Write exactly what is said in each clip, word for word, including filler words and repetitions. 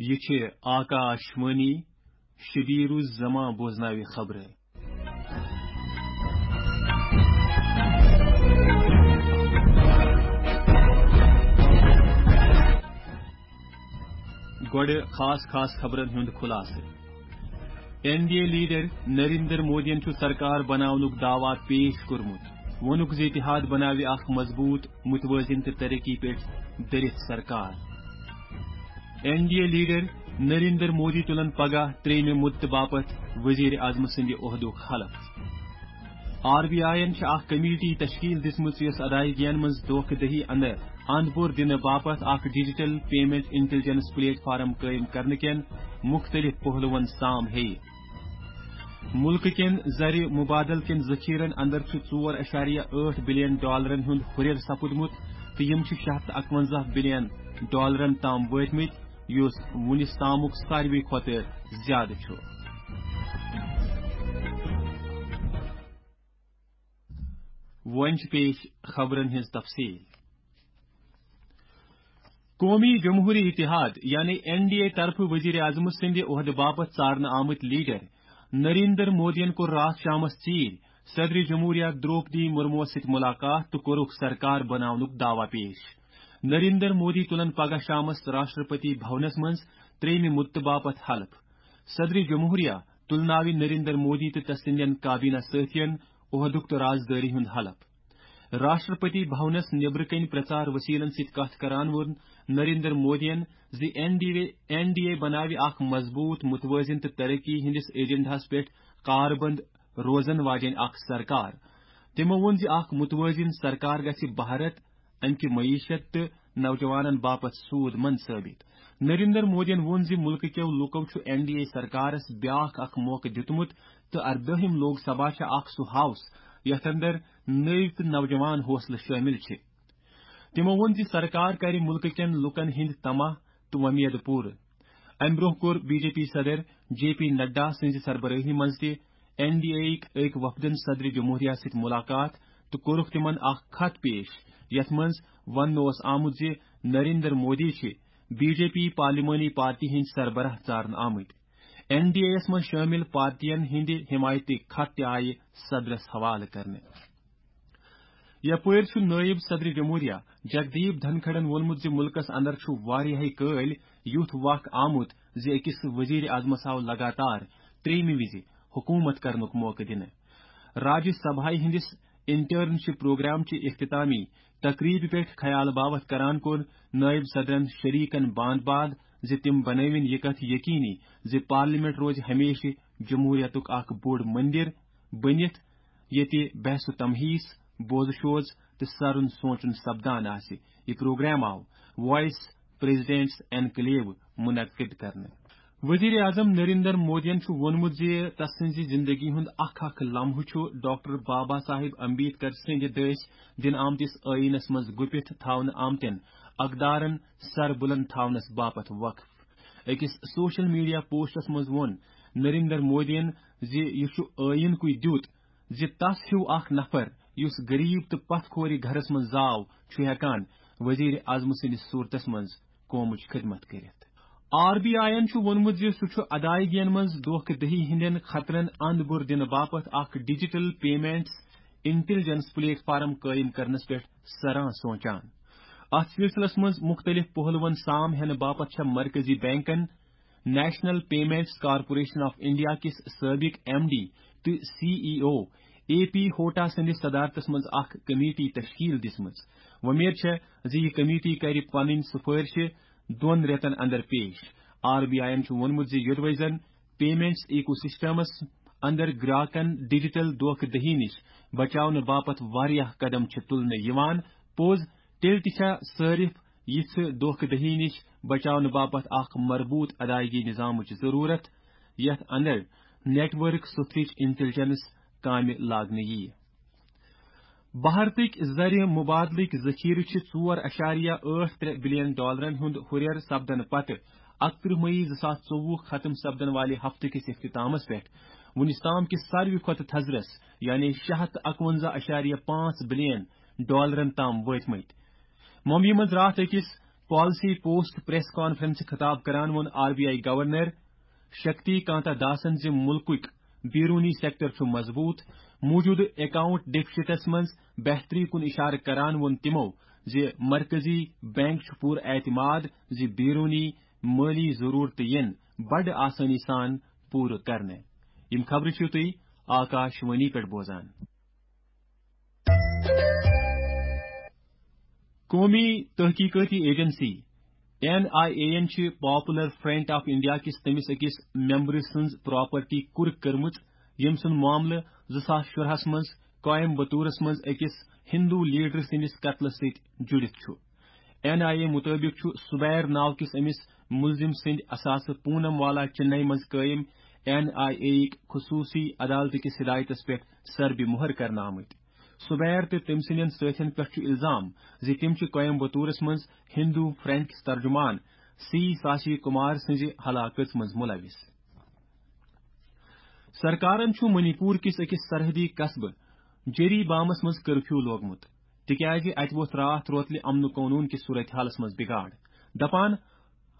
یہِ چھِ آکاش وانی، شبیر الزمان بوزناوِ خبرٕ۔ گۄڈٕ خاص خاص خبرن ہُنٛد خُلاصہٕ۔ N D A leader Narendra مودیَن چھُ سرکار بناونُک دعویٰ پیش کوٚرمُت۔ ووٚنُکھ زِ اتحاد بناوِ اکھ مضبوٗط، متوازن تہٕ ترقی پٮ۪ٹھ دٔرِتھ سرکار۔ N D A leader Narendra Modi تُلن پگاہ ترٛیٚیمہِ مدتہٕ باپتھ وزیر اعظم سٕنٛدِ عہدُک حلف۔ آر بی آیَن چھِ اکھ کمیٹی تشکیل دِژمٕژ یۄس ادائیگین منٛز دھوکہ دہی اندر اند پور دِنہٕ باپتھ اکھ digital payment intelligence plate form قٲیِم کرنہٕ کٮ۪ن مُختٔلِف پہلوَن سام ہیٚیہِ۔ مُلکہٕ کٮ۪ن زرِ مبادلہٕ کٮ۪ن ذخیرن اندر چھُ ژور اَشاریہ ٲٹھ بلین ڈالرن ہُنٛد ہُرٮ۪ر سپُدمُت تہٕ یِم چھِ شےٚ ہتھ تہٕ اَکوَنزاہ بلین ڈالرن تام وٲتمٕتۍ، یُس وُنِس تامُک ساروی کھۄتہٕ زیادٕ چھُ۔ وۄنۍ چھِ پیش خبرن ہٕنٛز تفصیل۔ قومی جمہوری اتحاد یعنی این ڈی اے طرفہٕ وزیر اعظم سٕنٛدِ عہدٕ باپتھ ژارنہٕ آمٕتۍ لیڈر نریندر مودیَن کوٚر راتھ شامس ژیٖرۍ صدر جمہوریہ دروپدی مرموَس سۭتۍ ملاقات تہٕ کوٚرُکھ سرکار بناونُک دعویٰ پیش۔ نریندر مودی تُلن پگاہ شامس راشٹرپتی بھونس منٛز ترٛیٚیمہِ مدتہٕ باپتھ حلف۔ صدر جمہوریہ تُلناوِ نریندر مودی تہٕ تس سٕنٛدٮ۪ن کابینہ سٲتھین عہدُک تہٕ رازدٲری ہُنٛد حلف۔ راشٹرپتی بھونس نیبرٕ کنہِ پرچار وسیلن سۭتۍ کتھ کران ووٚن نریندر مودیَن زِ N D A, N D A بناوِ اکھ مضبوٗط، متوازن تہٕ ترقی ہٕنٛدِس ایجنڈاہس پٮ۪ٹھ کاربند روزن واجیٚنۍ اکھ سرکار۔ تِمو ووٚن زِ اکھ متوازن سرکار گژھِ بھارت، امہِ کہِ معیشت تہٕ نوجوانن باپتھ سود مند ثٲبت۔ نریندر مودیَن ووٚن زِ مُلکہٕ کٮ۪و لوٗکو چھُ این ڈی اے سرکارس بیاکھ اکھ موقعہٕ دِیُتمُت تہٕ اردٲہِم لوک سبھا چھےٚ اکھ سُہ ہاوس یتھ اندر نٔوۍ تہٕ نوجوان حوصلہٕ شٲمِل چھِ۔ تِمو ووٚن زِ سرکار کرِ مُلکہٕ کٮ۪ن لوٗکن ہٕنٛدۍ طمع تہٕ وۄمید پوٗرٕ۔ امہِ برٛونٛہہ کوٚر بی جے پی صدر جے پی نڈا سٕنٛزِ سربرٲہی منٛز تہِ این ڈی اے یٕکۍ أکۍ وفدن صدر جمہوریہ سۭتۍ ملاقات تہٕ کوٚرُکھ تِمن اکھ خط پیش، یتھ منٛز وننہٕ اوس آمُت زِ نریندر مودی چھِ بی جے پی پارلیمانی پارٹی ہٕنٛدۍ سربراہ ژارنہٕ آمٕتۍ۔ این ڈی اے یَس منٛز شٲمِل پارٹیَن ہٕنٛدِ حمایتٕکۍ خط تہِ آیہِ صدرس حوالہٕ کرنہٕ۔ یپٲرۍ چھُ نٲیِب صدر جمہوریہ جگدیپ دھنکھڑن ووٚنمُت زِ مُلکَس اندر چھُ واریاہے کٲلۍ یُتھ وق آمُت زِ أکِس وزیر اعظمَس آو لگاتار ترٛیٚیِمہِ وِزِ حکوٗمت کرنُک موقعہٕ دِنہٕ۔ راجیہ سبھایہ ہٕنٛدِس انٹرنشپ پروگرام چہِ اختتامی تقریبہِ پٮ۪ٹھ خیال باوتھ کران کوٚر نٲیِب صدرن شریکن باند باد زِ تِم بنٲوِن یہِ کتھ یقینی زِ پارلیمنٹ روزِ ہمیشہِ جمہوریتُک اکھ بوٚڑ مندر بٔنِتھ، ییٚتہِ بحث و تمہیس، بوزٕ شوز تہٕ سرُن سونچُن سپدان آسہِ۔ یہِ پروگرام آو وائس پریزیڈنٹس اینکلیو منعقد کرنہٕ۔ وزیر اعظم نریندر مودیَن چھُ ووٚنمُت زِ تسٕنزِ زندگی ہُنٛد اکھ اکھ لمحہٕ چھُ ڈاکٹر بابا صاحب امبیڈکر سٕنٛدِ دٔسۍ دِنہٕ آمتِس ٲیٖنس منٛز گُپِتھ تھاونہٕ آمتٮ۪ن اقدارن سر بلند تھاونس باپتھ وقف۔ أکِس سوشل میڈیا پوسٹس منٛز ووٚن نریندر مودیَن زِ یہِ چھُ ٲیٖن کُے دیُت زِ تس ہیوٗ اکھ نفر یُس غریب تہٕ پتھ کھورِ گھرس منٛز زاو چھُ ہٮ۪کان وزیر اعظم سٕنٛدِس صوٗرتس منٛز قومٕچ خدمت کٔرِتھ۔ آر بی آیَن چھُ ووٚنمُت زِ سُہ چھُ ادائیگین منٛز دھوکہ دہی ہٕنٛدٮ۪ن خطرن اند بُر دِنہٕ باپتھ اکھ digital payments intelligence plate form قٲیِم کرنس پٮ۪ٹھ سران سونچان۔ اتھ سلسلس منٛز مُختٔلِف پہلوَن سام ہٮ۪نہٕ باپتھ چھےٚ مرکزی بینکن national payments corporation of India کِس سٲبق ایم ڈی تہٕ C E O A P Hota سٕنٛدِس صدارتس منٛز اکھ کمیٹی تشکیل دِژمٕژ۔ وۄمید چھےٚ زِ یہِ کمیٹی کرِ پنٕنۍ سفٲرشہِ دۄن رٮ۪تن اندر پیش۔ آر بی آیَن چھُ ووٚنمُت زِ یوٚدوَے زن پیمنٹس ایکو سسٹمس اندر گراکن ڈیجیٹل دھوکہ دہی نِش بچاونہٕ باپتھ واریاہ قدم چھِ تُلنہٕ یِوان، پوٚز تیٚلہِ تہِ چھےٚ صٲرِف یِژھٕ دھوکہ دہی نِش بچاونہٕ باپتھ اکھ مربوط ادائیگی نظامٕچ ضروٗرت، یتھ اندر نیٹ ورک سوتھرٕچ انٹیلیجنس کامہِ لاگنہٕ یِیہِ۔ بھارتٕکۍ زرِ مبادلٕکۍ ذخیرٕ چھِ ژور اَشاریہ ٲٹھ ترٛےٚ بلین ڈالرن ہُنٛد ہُرٮ۪ر سپدنہٕ پتہٕ اَکترٕہ مئی زٕ ساس ژوٚوُہ ختم سپدن والہِ ہفتہٕ کِس اختتامس پٮ۪ٹھ وُنِس تام کِس ساروی کھۄتہٕ تھزرس، یعنی شےٚ ہتھ تہٕ اَکوَنزاہ اَشاریہ پانٛژھ بلین ڈالرن تام وٲتمٕتۍ۔ ممبئی منٛز راتھ أکِس پالیسی پوسٹ پریس کانفرنس خطاب کران ووٚن R B I governor Shakti Kanta داسن زِ ملکٕکۍ بیرونی سیکٹر چھُ مضبوط، موجودٕ اکاؤنٹ ڈیفسٹس منٛز بہتری کُن اشارٕ کران ووٚن تِمو زِ مرکزی بینک چھُ پوٗرٕ اعتماد زِ بیرونی مٲلی ضرورتہٕ یِن بڑٕ آسٲنی سان پوٗرٕ کرنہٕ۔ یِم خبرٕ چھِو تُہۍ آکاش وانی پٮ۪ٹھ بوزان۔ قومی تحقیقاتی ایجنسی این آئی اے یَن چھِ پاپولر فرنٹ آف انڈیا کِس تٔمِس أکِس ممبرٕ سٕنٛز پراپرٹی کُرک کٔرمٕژ، ییٚمۍ سُنٛد معاملہٕ زٕ ساس شُراہَس منٛز کویمبتورس منٛز أکِس ہندو لیڈر سٕنٛدِس قتلس سۭتۍ جُڑِتھ چھُ۔ این آئی اے مُطٲبِق چھُ سُبیر ناو کِس أمِس مُلزِم سٕنٛدِ اثاثہٕ پونم والا چِنئی منٛز قٲیِم این آئی اے یِکۍ خصوٗصی عدالتہٕ کِس ہدایتس پٮ۪ٹھ سربہِ مۄہر کرنہٕ آمٕتۍ۔ سُبیر تہٕ تٔمۍ سٕنٛدٮ۪ن سٲتھٮ۪ن پٮ۪ٹھ چھُ الزام زِ تِم چھِ کویمبتورس منٛز ہندو فرینڈ کِس ترجمان سی ساسی کمار سٕنٛزِ ہلاکژ منٛز ملوث۔ سرکارن چھُ منی پور کِس أکِس سرحدی قصبہٕ جیری بامس منٛز کرفیو لوگمُت، تِکیازِ اتہِ ووٚتھ راتھ روتلہِ امن و قونوٗن کِس صورتحالس منٛز بگاڑ۔ دپان،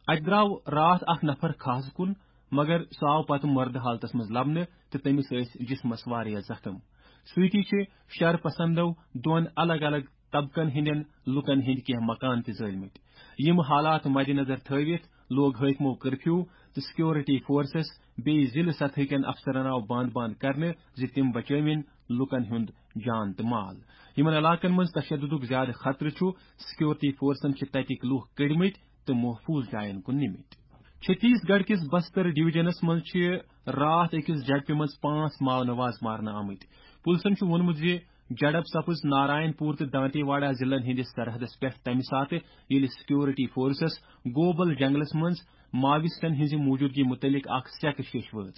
اتہِ درٛاو راتھ اکھ نفر کھہس کُن، مگر سُہ آو پتہٕ مردٕ حالتس منٛز لبنہٕ تہٕ تٔمِس ٲسۍ جسمس واریاہ زخم۔ سۭتی چھِ شر پسندو دۄن الگ الگ طبقن ہٕنٛدٮ۪ن لوٗکن ہٕنٛدۍ کینٛہہ مکان تہِ زٲلمٕتۍ۔ یِم حالات مدنظر تھٲوِتھ لوگ حٲکمو کرفیو تہٕ سیکورٹی فورسز بیٚیہِ ضلعہٕ سطحٕکٮ۪ن افسرن آو بند بند کرنہٕ زِ تِم بچٲوِن لوٗکن ہُنٛد جان تہٕ مال۔ یِمن علاقن منٛز تشددُک زیادٕ خطرٕ چھُ، سیکورٹی فورسن چھِ تتِکۍ لوٗکھ کٔڑمٕتۍ تہٕ محفوظ جاین کُن نِمٕتۍ۔ چھتیس گڑھ کِس بستر ڈویژنس منٛز چھِ راتھ أکِس جھڑپہِ منٛز پانٛژھ ماونواز مارنہٕ آمٕتۍ۔ پُلسن چھُ ووٚنمُت زِ جھڑپ سپٕز نارائن پور تہٕ دانتے واڑہ ضلعن ہٕنٛدِس سرحدس پٮ۪ٹھ تَمہِ ساتہٕ، ییٚلہِ سیکورٹی فورسز گوبل جنگلس منٛز ماویسٹن ہٕنٛزِ موجودگی مُتعلق اکھ سیکہٕ شیش وٲژ۔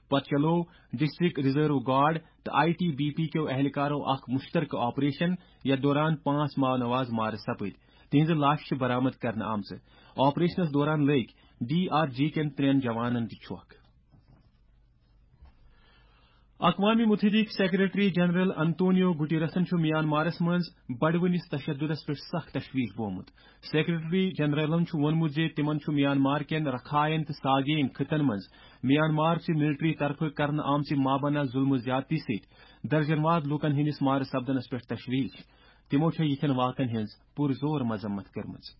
پتہٕ چلوو ڈسٹرکٹ ریزرو گارڈ تہٕ آئی ٹی بی پی کیو اہلکارو اکھ مشترکہٕ آپریشن، یتھ دوران پانٛژھ ماونواز مارٕ سپٕدۍ۔ تِہنٛزٕ لاشہٕ چھِ برآمد کرنہٕ آمژٕ۔ آپریشنس دوران لٔگۍ ڈی آر جی کٮ۪ن ترٛٮ۪ن جوانن تہِ چھۄکھ۔ اقوام متحدٕکۍ سیکرٹری جنرل انتونیو گٹیرسن چھُ میانمارس منٛز بڑوٕنِس تشددس پٮ۪ٹھ سخ تشویش بومُت۔ سیکرٹری جنرلن چھُ ووٚنمُت زِ تِمن چھُ میانمار کٮ۪ن رکھاین تہٕ ساگین خطن منٛز میانمار چہِ ملٹری طرفہٕ کرنہٕ آمژِ مابنہ ظلمہٕ زیادتی سۭتۍ درجن واد لوٗکن ہٕنٛدِس مارٕ سپدنس پٮ۪ٹھ تشویش۔ تِمو چھےٚ یِتھٮ۪ن واقعن ہٕنٛز پُرزور مذمت کٔرمٕژ۔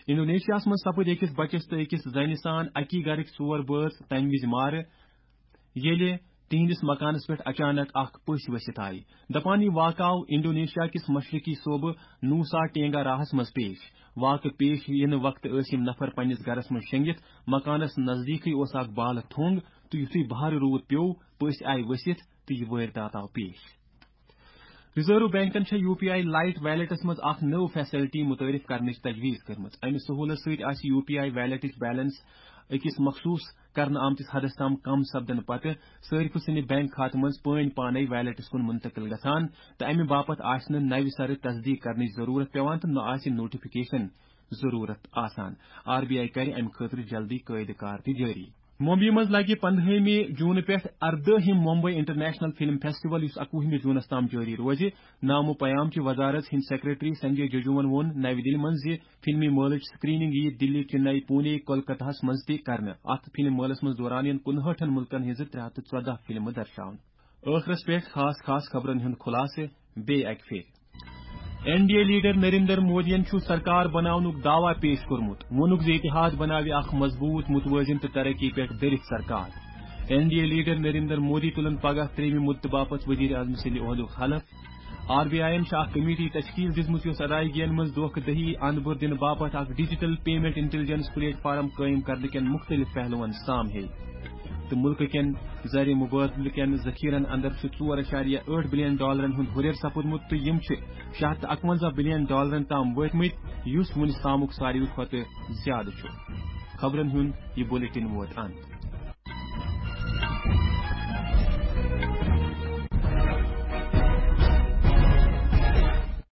انڈونیشیاہس منٛز سپٕدۍ أکِس بچس تہٕ أکِس زنہِ سان اکی گرٕکۍ ژور بٲژ تمہِ وِزِ مارٕ، ییٚلہِ تِہنٛدِس مکانس پٮ۪ٹھ اچانک اکھ پٔژھۍ ؤسِتھ آیہِ۔ دپان، یہِ واقعہٕ آو انڈونیشیا کِس مشرقی صوبہٕ نوسا ٹینگا راہس منٛز پیش۔ واقعہٕ پیش یِنہٕ وقتہٕ ٲسۍ یِم نفر پننِس گرس منٛز شۄنگِتھ، مکانس نزدیٖکٕے اوس اکھ بالہٕ تھوٚنگ تہٕ یُتھُے بہارٕ روٗد پیوٚو، پٔژھۍ آیہِ ؤسِتھ تہٕ یہِ وٲرۍ داتھ آو پیش۔ ریزرو بینکن چھےٚ یو پی آئی لائٹ ویلیٹس منٛز اکھ نٔو فیسلٹی متعارف کرنٕچ تجویز کٔرمٕژ۔ امہِ سہولت سۭتۍ آسہِ یو پی آئی ویلیٹٕچ بیلنس أکِس مخصوص کرنہٕ آمتِس حدس تام کم سپدنہٕ پتہٕ صٲرفہٕ سٕنٛدِ بینک کھاتہٕ منٛز پٲنۍ پانے ویلیٹس کُن منتقل گژھان تہٕ امہِ باپتھ آسہِ نہٕ نوِ سرٕ تصدیق کرنٕچ ضرورت پٮ۪وان تہٕ نہ آسہِ نوٹیفکیشن ضرورت آسان۔ آر بی آئی کرِ امہِ خٲطرٕ جلدی قٲعدٕ کار تہِ جٲری۔ ممبئی منٛز لگہِ پندہٲیمہِ جوٗنہٕ پٮ۪ٹھ اردٲہِم ممبئی انٹرنیشنل فلم فیسٹیول، یُس اکوُہمہِ جوٗنس تام جٲری روزِ۔ نامو پیام چہِ وزارت ہٕنٛدۍ سیکرٹری سنجے ججوون ووٚن نَوِ دِلہِ منٛز زِ فلمی مٲلٕچ سکریننگ یِیہِ دِلہِ، چنئی، پونے، کولکتہس منٛز تہِ کرنہٕ۔ اتھ فلم مٲلس منٛز دوران یِن کُنہٲٹھن مُلکن ہٕنٛزٕ ترٛےٚ ہتھ تہٕ ژۄدہ فلمہٕ درشاونہٕ۔ ٲخرس پٮ۪ٹھ خاص خاص خبرن ہُنٛد خلاصہٕ بیٚیہِ اکہِ پھِرِ۔ N D A leader Narendra مودیَن چھُ سرکار بناونُک دعویٰ پیش کوٚرمُت۔ ووٚنُکھ زِ اتحاد بناوِ اکھ مضبوط، متوازن تہٕ ترقی پٮ۪ٹھ دٔرِتھ سرکار۔ N D A leader Narendra Modi تُلن پگاہ ترٛیٚیمہِ مدتہٕ باپتھ وزیر اعظم سٕنٛدِ عہدُک حلف۔ آر بی آئی یَن چھِ اکھ کمیٹی تشکیل دِژمٕژ یۄس ادائیگین منٛز دھوکہ دہی اند بُر دِنہٕ باپتھ اکھ digital payment intelligence plate form قٲیِم کرنہٕ کٮ۪ن مختلف پہلوَن سام ہیٚیہِ تہٕ مُلکہٕ کٮ۪ن زر مبادلہٕ کٮ۪ن ذخیرن اندر چھُ ژور اعشاریہ ٲٹھ بلین ڈالرن ہُنٛد ہُرٮ۪ر سپُدمُت تہٕ یِم چھِ شےٚ ہتھ تہٕ اکونزہ بلین ڈالرن تام وٲتمٕتۍ، یُس وُنیُک تامُک ساروی کھۄتہٕ زیادٕ چھُ۔ خبرن ہُنٛد یہِ بلیٹن ووت اند۔